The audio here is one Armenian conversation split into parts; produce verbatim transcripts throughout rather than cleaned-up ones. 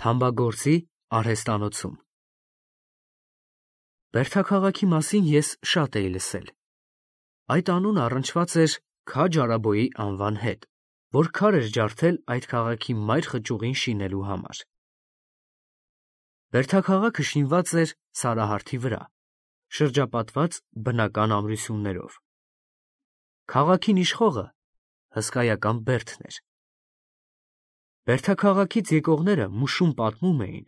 Թամբագործի արհեստանոցում։ Բերդաքաղաքի մասին ես շատ էի լսել։ Այդ անունը առնչված էր Քաջ Արաբոյի անվան հետ, որ քար էր ջարդել այդ քաղաքի մայր խճուղին շինելու համար։ Բերդաքաղաքը շինված էր սարահարթի վրա, շրջապատված բնական ամրություններով։ Քաղաքին իշխողը հսկայական Բերդն էր։ Բերդաքաղաքից եկողները մուշում պատմում էին,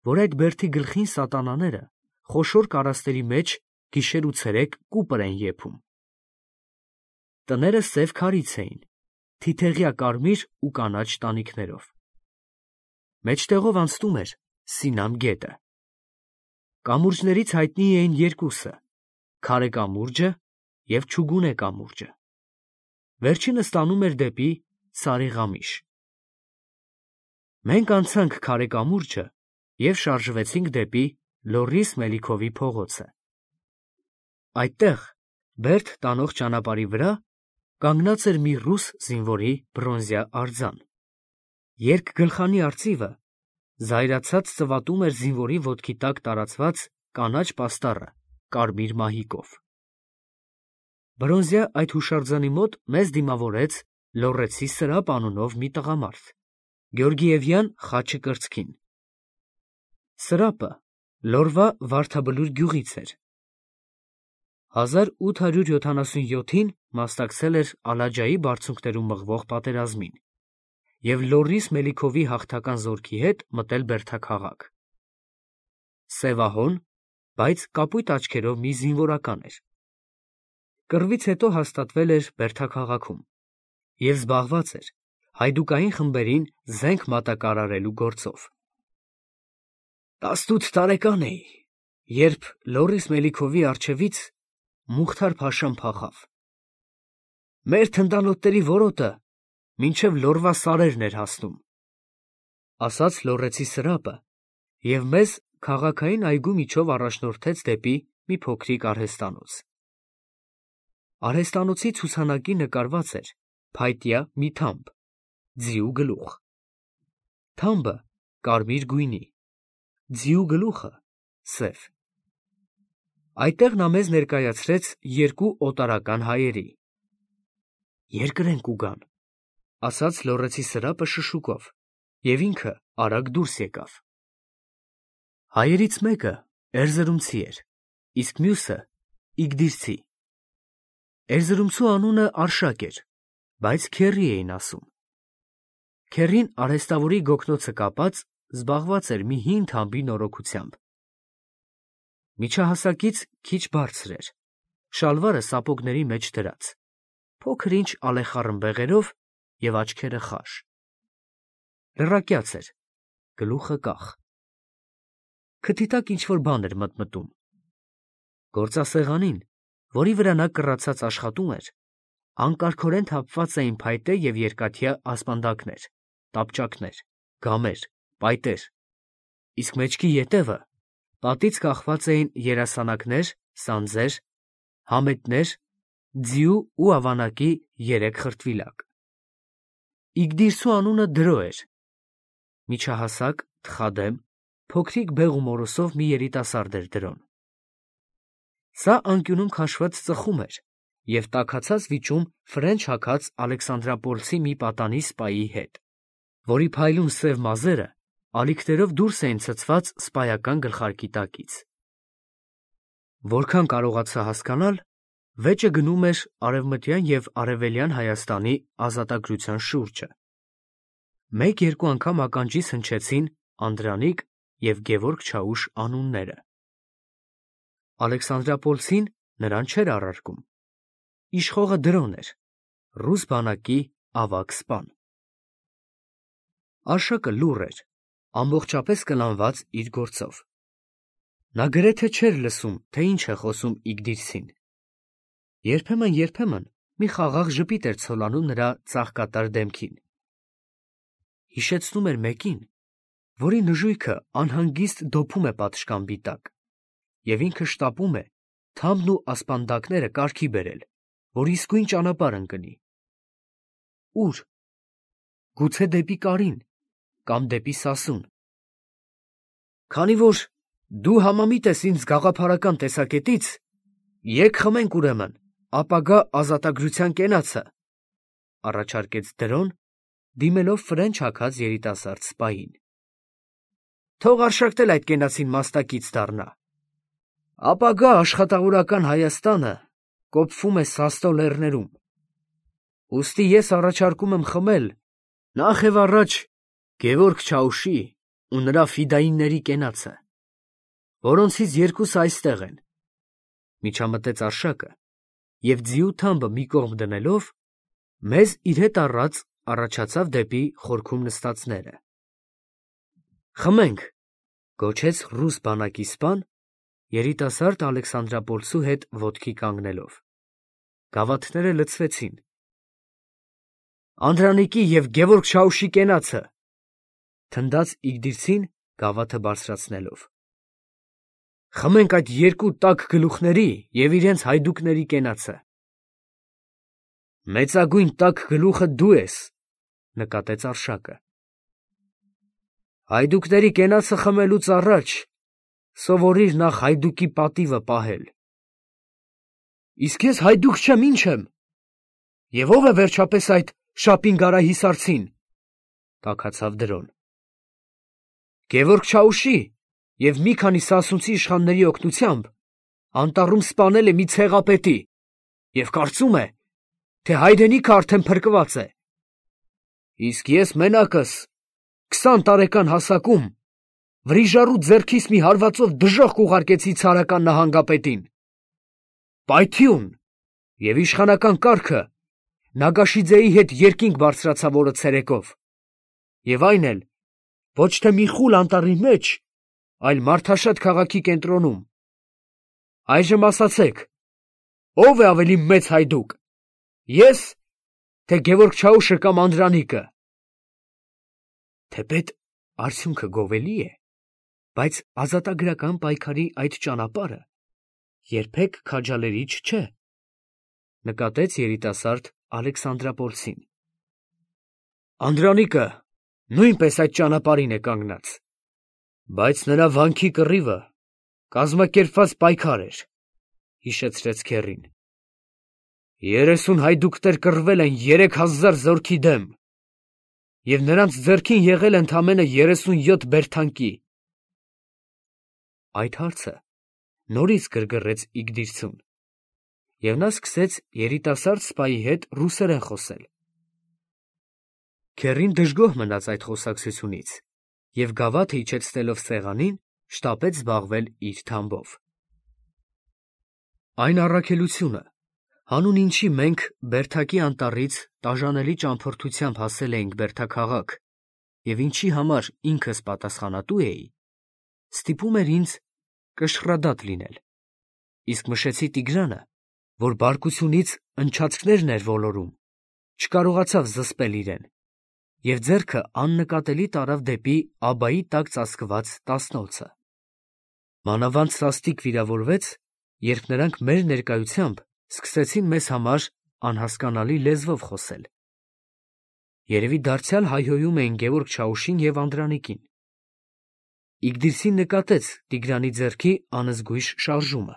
որ այդ Բերդի գլխին սատանաները խոշոր կարասների մեջ գիշեր ու ցերեկ կուպր են եփում։ Տները սև քարից էին, թիթեղյա կարմիր ու կանաչ տանիքներով։ Մեջտեղով անցնում էր Սինամ գետը։ Կամուրջներից հայտնի էին երկուսը՝ Քարե կամուրջը և Չուգունե կամուրջը։ Վերջինը ստանում էր դեպի Սարիղամիշ։ Մենք անցանք Քարե կամուրջը և շարժվեցինք դեպի Լոռիս Մելիքովի փողոցը։ Այդտեղ, Բերդ տանող ճանապարհի վրա, կանգնած էր մի ռուս զինվորի բրոնզյա արձան։ Երկգլխանի արծիվը զայրացած ծվատում էր զինվորի ոտքի տակ տարածված կանաչ պաստառը կարմիր մահիկով։ Բրոնզյա այդ հուշարձանի մոտ մեզ դիմավորեց լոռեցի Սրափ անունով մի տղամարդ, գեորգիևյան խաչը կրծքին։ Սրափը Լոռվա Վարդաբլուր գյուղից էր։ հազար ութ հարյուր յոթանասունյոթին մասնակցել էր Ալաջայի բարձունքներում մղվող պատերազմին և Լոռիս Մելիքովի հաղթական զորքի հետ մտել Բերդաքաղաք։ Սևահոն, բայց կապույտ աչքերով մի զինվորական էր։ Կռվից հետո հաստատվել էր Բերդաքաղաքում և զբաղված էր հայդուկային խմբերին զենք մատակարարելու գործով։ Տասնութ տարեկան էի, երբ Լոռիս Մելիքովի առջևից Մուխթար֊փաշան փախավ։ Մեր թնդանոթների որոտը մինչև Լոռվա սարերն էր հասնում, ասաց լոռեցի Սրափը և մեզ քաղաքային այգու միջով առաջնորդեց դեպի մի փոքրիկ արհեստանոց։ Արհեստանոցի ցուցանակի նկարված էր փայտյա մի թամբ, ձիու գլուխ։ Թամբը կարմիր գույնի, ձիու գլուխը՝ սև։ Այդտեղ նա մեզ ներկայացրեց երկու օտարական հայերի։ Երկրենք ուգան, ասաց լոռեցի Սրափը շշուկով, և ինքը արագ դուրս եկավ։ Հայերից մեկը էրզրումցի էր, իսկ մյուսը իգդիրցի։ Էրզրումցու անունը Արշակ էր, բայց քեռի էին ասում։ Քեռին արհեստավորի գոգնոցը կապած զբաղված էր մի հին թամբի նորոգությամբ։ Միջահասակից քիչ բարձր էր, շալվարը սապոգների մեջ դրած, փոքր ինչ ալեխառն բեղերով և աչքերը խաշ։ Լրակյաց էր, գլուխը կախ։ Քթի տակ ինչ-որ բան էր մտմտում։ Գործասեղանին, որի վրա նա կռացած աշխատում էր, անկարգորեն թափված էին փայտե և երկաթյա ասպանդակներ, տապճակներ, գամեր, պայտեր, իսկ մեջքի ետևը պատից կախված էին երասանակներ, սանձեր, համետներ, ձիու ու ավանակի երեք խրտվիլակ։ Իգդիրցու անունը Դրո էր, միջահասակ, թխադեմ, փոքրիկ բեղ ու մորուսով մի երիտասարդ էր Դրոն։ Սա անկյունում քաշված ծխում էր և տաքացած վիճում ֆրենչ հագած Ալեքսանդրապոլցի մի պատանի սպայի հետ, որի փայլուն սև մազերը ալիքներով դուրս էին ցցված սպայական գլխարկի տակից։ Որքան կարողացա հասկանալ, վեճը գնում էր արևմտյան և արևելյան Հայաստանի ազատագրության շուրջը։ Մեկ-երկու անգամ ականջիս հնչեցին Անդրանիկ և Գևորգ Չաուշ անունները։ Ալեքսանդրապոլցին նրան չէր առարկում։ Իշխողը Դրոն էր, ռուս բանակի ավագ սպան։ Արշակը լուռ էր, ամբողջապես կլանված իր գործով։ Նա գրեթե չէր լսում, թե ինչ է խոսում իգդիրցին։ Երբեմն-երբեմն մի խաղաղ ժպիտ էր ցոլանում նրա ծաղկատար դեմքին։ Հիշեցնում էր մեկին, որի նժույգը անհանգիստ դոփում է պատշգամբի տակ, և ինքը շտապում է թամբն ու ասպանդակները կարգի բերել, որ իսկույն ճանապարհ ընկնի։ Ո՞ւր։ Գուցե դեպի Կարին կամ դեպի Սասուն։ Քանի որ դու համամիտ ես ինձ գաղափարական տեսակետից, եկ խմենք ուրեմն ապագա ազատագրության կենացը, առաջարկեց Դրոն, դիմելով ֆրենչ հագած երիտասարդ սպային։ Թող արշակտել այդ կենացին մաստակից դառնա։ Ապագա աշխատավորական Հայաստանը կոփվում է Սաստո լեռներում։ Ուստի ես առաջարկում եմ խմել նախ եւ առաջ Գևորգ Չաուշի ու նրա ֆիդայինների կենացը, որոնցից երկուսը այստեղ են, միջամտեց Արշակը և ձիու թամբը մի կողմ դնելով, մեզ իր հետ առած առաջացավ դեպի խորքում նստածները։ Խմենք, գոչեց ռուս բանակի սպան, երիտասարդ Ալեքսանդրապոլցու հետ ոտքի կանգնելով։ Գավաթները լցվեցին։ Անդրանիկի և Գևորգ Չաուշի կենացը, թնդաց Իգդիրցին գավաթը բարձրացնելով։ Խմենք այդ երկու տաք գլուխների և իրենց հայդուկների կենացը։ Մեծագույն տաք գլուխը դու ես, նկատեց Արշակը։ Հայդուկների կենացը խմելուց առաջ սովորիր նախ հայդուկի պատիվը պահել։ Իսկ ես հայդուկ չեմ, ինչ եմ։ Եվ ո՞վ է վերջապես այդ Շապին-Գարահիսարցին, տաքացավ Դրոն։ Գևորգ Չաուշի և մի քանի սասունցի իշխանների օգնությամբ անտառում սպանել է մի ցեղապետի և կարծում է, թե հայրենիքը արդեն փրկված է։ Իսկ ես մենակս քսան տարեկան հասակում վրիժառու ձեռքիս մի հարվածով դժոխք ուղարկեցի ցարական նահանգապետին։ Պայթյուն և իշխանական կարգը Նագաշիձեի հետ երկինք բարձրացավ օրը ցերեկով, և այն էլ ոչ թե մի խուլ անտառի մեջ, այլ մարդաշատ քաղաքի կենտրոնում։ Այժմ ասացեք, ո՞վ է ավելի մեծ հայդուկ, ես, թե Գևորգ Չաուշը կամ Անդրանիկը։ Թեպետ արդյունքը գովելի է, բայց ազատագրական պայքարի այդ ճանապարհը երբեք քաջալերիչ չէ, նկատեց երիտասարդ Ալեքսանդրապոլցին։ Անդրանիկը նույնպես այդ ճանապարհին է կանգնած, բայց նրա վանքի կռիվը կազմակերպված պայքար էր, հիշեցրեց քեռին։ Երեսուն հայդուկներ կռվել են երեք հազար զորքի դեմ, և նրանց ձեռքին եղել է ընդամենը երեսունյոթ բերդանկի։ Այդ հարցը նորից գրգռեց Իգդիրցուն, և նա սկսեց երիտասարդ սպայի հետ ռուսերեն խոսել։ Քեռին դժգոհ մնաց այդ խոսակցությունից և գավաթը իջեցնելով սեղանին, շտապեց զբաղվել իր թամբով։ Այն առաքելությունը, հանուն ինչի մենք Բերդակի անտառից տաժանելի ճամփորդությամբ հասել էինք Բերդաքաղաք և ինչի համար ինքս պատասխանատու էի, ստիպում էր ինձ կշռադատ լինել, իսկ Մշեցի Տիգրանը, որ բարկությունից ընչացքներն էր ոլորում, չկարողացավ զսպել իրեն, և ձեռքը աննկատելի տարավ դեպի աբայի տակ ծածկված տասնոցը։ Մանավանդ սաստիկ վիրավորվեց, երբ նրանք մեր ներկայությամբ սկսեցին մեզ համար անհասկանալի լեզվով խոսել։ Երևի դարձյալ հայհոյում էին Գևորգ Չաուշին և Անդրանիկին։ Իգդիրցին նկատեց Տիգրանի ձեռքի անզգույշ շարժումը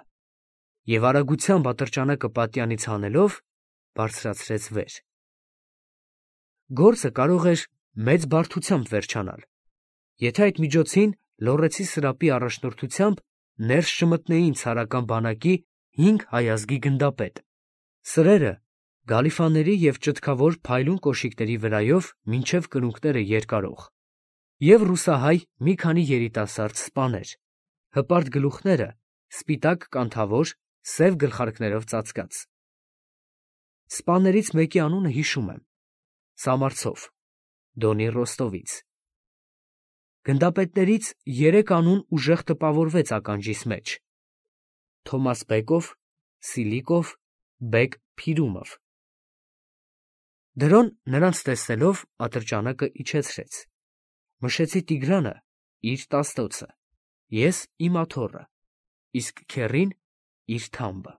և արագությամբ ատրճանակը պատյանից հանելով բարձրացրեց վեր։ Գործը կարող էր մեծ բարդությամբ վերջանալ, եթե այդ միջոցին Լոռեցի սրապի առաջնորդությամբ ներս չմտնեին ցարական բանակի հինգ հայազգի գնդապետ, սրերը գալիֆաների և ճտկավոր փայլուն կոշիկների վրայով մինչև կրունկները երկարող, և ռուսահայ մի քանի երիտասարդ սպաներ, հպարտ գլուխները սպիտակ կանթավոր սև գլխարկներով ծածկած։ Սպաներից մեկի անունը հիշում եմ. Սամարցով, Դոնի Ռոստովից։ Գնդապետներից երեք անուն ուժեղ տպավորվեց ականջիս մեջ. Թոմաս Բեկով, Սիլիկով, Բեկ Փիրումով։ Դրոն նրանց տեսնելով ատրճանակը իջեցրեց։ Մշեցի Տիգրանը իր տասնոցը, ես իմ աթոռը, իսկ քեռին իր թամբը։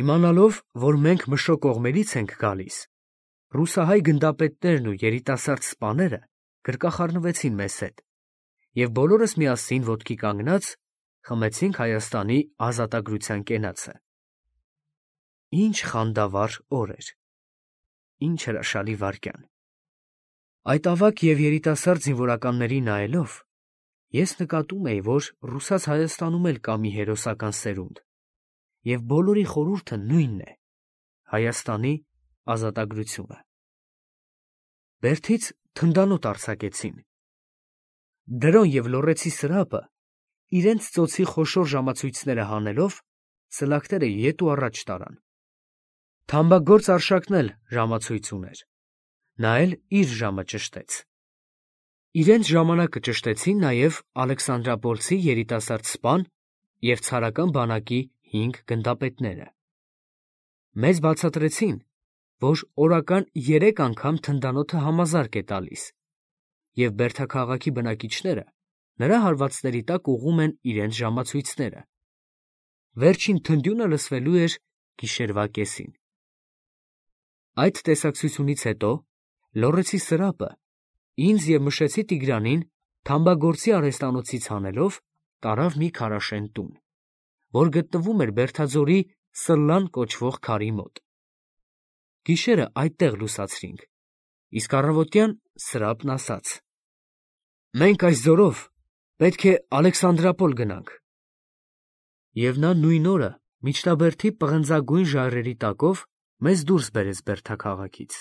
Իմանալով, որ մենք Մշո կողմերից ենք գալիս, ռուսահայ գնդապետներն ու երիտասարդ սպաները գրկախառնվեցին մեզ հետ և բոլորս միասին ոտքի կանգնած խմեցինք Հայաստանի ազատագրության կենացը։ Ինչ խանդավառ օր էր, ինչ հրաշալի վայրկյան։ Այդ ավագ և երիտասարդ զինվորականների նայելով, ես նկատում էի, որ ռուսաց Հայաստանում էլ կա մի հերոսական սերունդ, և բոլորի խորհուրդը նույնն է՝ Հայաստանի ազատագրությունը։ Բերդից թնդանոթ արձակեցին։ Դրոն և լոռեցի սրափը իրենց ծոցի խոշոր ժամացույցները հանելով սլաքները ետ ու առաջ տարան։ Թամբագործ Արշակն էլ ժամացույց ուներ, նա էլ իր ժամը ճշտեց։ Իրենց ժամանակը ճշտեցին նաև Ալեքսանդրապոլցի երիտասարդ սպան և ցարական բանակի հինգ գնդապետները։ Մեզ բացատրեցին, որ օրական երեք անգամ թնդանոթը համազարկ է տալիս, և բերդաքաղաքի բնակիչները նրա հարվածների տակ ուղղում են իրենց ժամացույցները։ Վերջին թնդյունը լսվելու էր գիշերվա կեսին։ Այդ տեսակցությունից հետո լոռեցի սրափը ինձ և Մշեցի Տիգրանին թամբագործի արհեստանոցից հանելով տարավ մի քարաշեն տուն, որ գտնվում էր Բերդաձորի Սլլան կոչվող քարի մոտ։ Գիշերը այդտեղ լուսացրինք, իսկ առավոտյան Սրափն ասաց. «Մենք այս ձորով պետք է Ալեքսանդրապոլ գնանք»։ Եվ նա նույն օրը միջնաբերդի պղնձագույն ժայռերի տակով մեզ դուրս բերեց Բերդաքաղաքից։